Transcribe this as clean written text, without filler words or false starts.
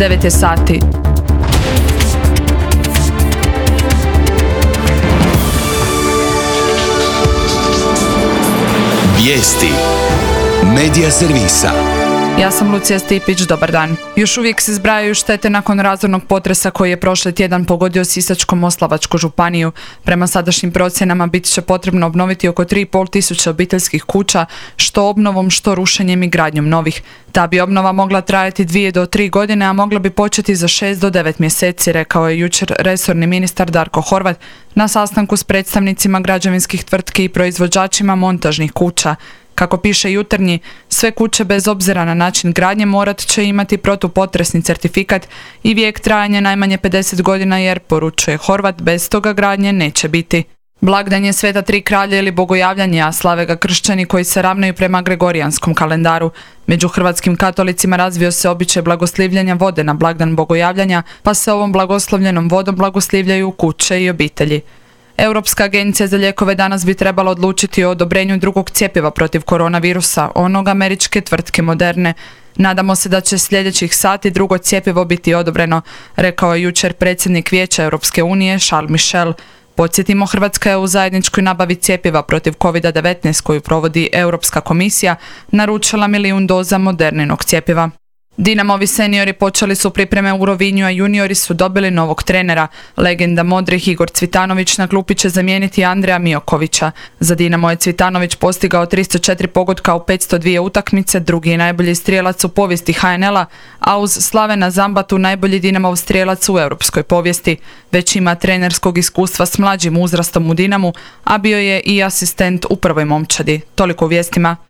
9 je sati. Vijesti Medija servisa. Ja sam Lucija Stipić, dobar dan. Još uvijek se zbrajaju štete nakon razornog potresa koji je prošli tjedan pogodio Sisačko-moslavačku županiju. Prema sadašnjim procjenama bit će potrebno obnoviti oko 3.500 obiteljskih kuća, što obnovom, što rušenjem i gradnjom novih. Ta bi obnova mogla trajati 2 do 3 godine, a mogla bi početi za 6 do 9 mjeseci, rekao je jučer resorni ministar Darko Horvat na sastanku s predstavnicima građevinskih tvrtki i proizvođačima montažnih kuća. Kako piše Jutarnji, sve kuće bez obzira na način gradnje morat će imati protupotresni certifikat i vijek trajanja najmanje 50 godina jer, poručuje Horvat, bez toga gradnje neće biti. Blagdan je Sveta Tri kralja ili bogojavljanje, a slave ga kršćani koji se ravnaju prema gregorijanskom kalendaru. Među hrvatskim katolicima razvio se običaj blagoslivljanja vode na blagdan bogojavljanja, pa se ovom blagoslovljenom vodom blagoslivljaju kuće i obitelji. Europska agencija za lijekove danas bi trebala odlučiti o odobrenju drugog cjepiva protiv koronavirusa, onog američke tvrtke Moderne. Nadamo se da će sljedećih sati drugo cjepivo biti odobreno, rekao je jučer predsjednik Vijeća Europske unije Charles Michel. Podsjetimo, Hrvatska je u zajedničkoj nabavi cjepiva protiv COVID-19 koju provodi Europska komisija naručila 1 milijun doza Moderninog cjepiva. Dinamovi seniori počeli su pripreme u Rovinju, a juniori su dobili novog trenera. Legenda modrih Igor Cvitanović na klupi će zamijeniti Andreja Miokovića. Za Dinamo je Cvitanović postigao 304 pogotka u 502 utakmice, drugi je najbolji strijelac u povijesti HNL-a, a uz Slavena Zambatu najbolji Dinamov strijelac u europskoj povijesti. Već ima trenerskog iskustva s mlađim uzrastom u Dinamu, a bio je i asistent u prvoj momčadi. Toliko u vijestima.